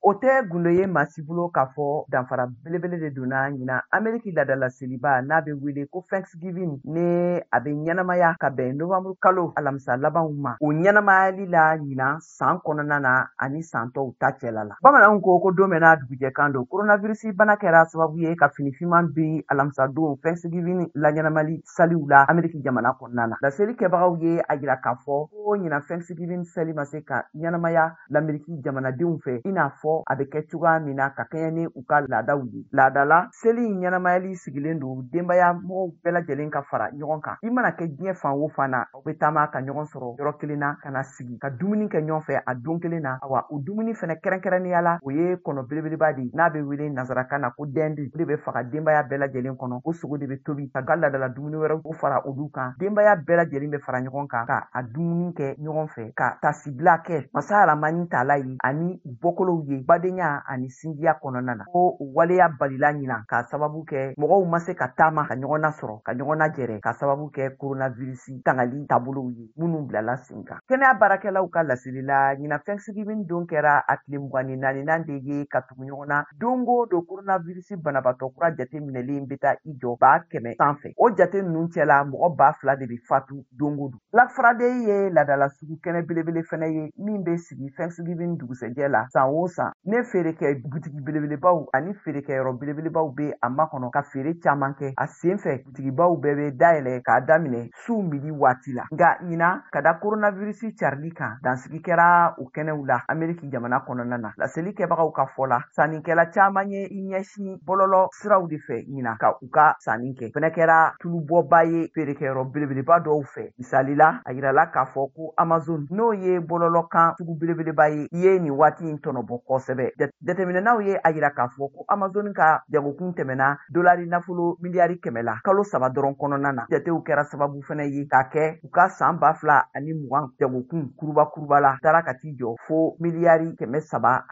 O tɛ gundo ye maa si bolo k'a fɔ danfara belebele de donna ɲinan Ameriki laadala seliba n'a bɛ wele ko Thanksgiving, ni a bɛ ɲɛnamaya ka bɛn novembre kalo alamisa labanw ma, o ɲɛnamayali la ɲinan san kɔnɔna na ani san tɔw ta cɛla la. Bamananw ko ko don bɛɛ n'a dugujɛ kan don. Coronavirus bana kɛra sababu ye ka fini finman bin alamisa don Thanksgiving laɲɛnamali saliw la Ameriki jamana kɔnɔna na. Laseli kɛbagaw ye a jira k'a fɔ ko ɲinan Thanksgiving sali ma se ka ɲɛnamaya Lameriki jamanadenw fɛ i n'a fɔ a bɛ kɛ cogoya min na ka kɛɲɛ ni u ka laadaw ye. Laadala seli in ɲɛnamayali sigilen don denbaya mɔgɔw bɛɛ lajɛlen ka fara ɲɔgɔn kan. I mana kɛ diɲɛ fan o fan na, aw bɛ taama ka ɲɔgɔn sɔrɔ yɔrɔ kelen na ka na sigi ka dumuni kɛ ɲɔgɔn fɛ a don kelen na. Awa, o dumuni fɛnɛ kɛrɛnkɛrɛnnenya la, o ye kɔnɔ belebeleba de ye n'a bɛ wele nansarakan na ko dinde. O de bɛ faga denbaya bɛɛ lajɛlen kɔnɔ. O sogo de bɛ tobi ka laadala dumuni wɛrɛw o fara olu kan. Denbaya bɛɛ lajɛlen bɛ fara ɲɔgɔn kan ka a dumuni kɛ ɲɔgɔn fɛ, ka tasibila kɛ masa aramani taala ye ani bɔkolow ye badenya ani sinjiya kɔnɔna na. Ko o waleya balila ɲinan k'a sababu kɛ mɔgɔw ma se ka taama ka ɲɔgɔn nasɔrɔ, ka ɲɔgɔn najɛrɛ, k'a sababu kɛ coronavirus tangali taabolow ye minnu bilala sen kan. Kɛnɛya baarakɛlaw ka laseli la, ɲinan Thanksgiving don kɛra a tile 24nan de ye ka tugu ɲɔgɔn na. Don o don coronavirus banabaatɔ kura jate minɛlen bɛ taa i jɔ 100,000 sanfɛ. O jate ninnu cɛla, mɔgɔ 2,000 de bɛ fatu don o don. Black Friday ye laadala sugu kɛnɛ belebele fɛnɛ ye min bɛ sigi Thanksgiving dugusɛjɛ la san o san. Ne feerekɛ butigi belebelebaw ani feerekɛyɔrɔ belebelebaw bɛ a makɔnɔ ka feere caman kɛ. A sen fɛ, butigibaw bɛɛ bɛ dayɛlɛ k'a daminɛ su midi waati la. Nka ɲinan, ka da coronavirus carili kan, dansigi kɛra o kɛnɛw la Ameriki jamana kɔnɔna na. Laseli kɛbagaw ka fɔ la, sannikɛla caman ye i ɲɛsin bɔlɔlɔ siraw de fɛ ɲinan ka u ka sanni kɛ. Fɛnɛ kɛra tulubɔba ye feerekɛyɔrɔ belebeleba dɔw fɛ. Misali la, a yirala k'a fɔ ko Amazon, n'o ye bɔlɔlɔ kan sugu belebeleba ye, i ye nin waati in tɔnɔbɔ kosɛbɛ. Jateminɛnaw ye a yira k'a fɔ ko Amazon ka jagokun tɛmɛna dolari nafolo miliyari 100 la kalo 3 dɔrɔn kɔnɔna na. Jatew kɛra sababu fɛnɛ ye k'a kɛ u ka san 2020 jagokun kuruba kuruba la taara ka t'i jɔ fo miliyari 370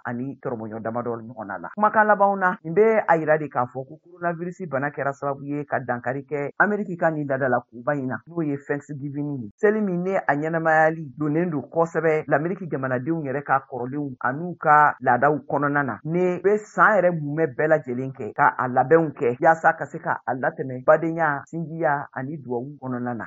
ani tɔrɔmɔɲɔ damadɔ ɲɔgɔnna la. Kumakan labanw na, nin bɛ a yira de k'a fɔ ko coronavirus bana kɛra sababu ye ka dankari kɛ Ameriki ka nin laadala koba in na, n'o ye Thanksgiving ye. Seli min ne a ɲɛnamayali donnen don kosɛbɛ Lameriki jamanadenw yɛrɛ ka kɔrɔlenw an'u ka laadaw kɔnɔna na, ne bɛ san yɛrɛ mumɛ bɛɛ lajɛlen kɛ ka a labɛnw kɛ yaasa ka se ka a latɛmɛ badenya, sinjiya ani duwawu kɔnɔna na.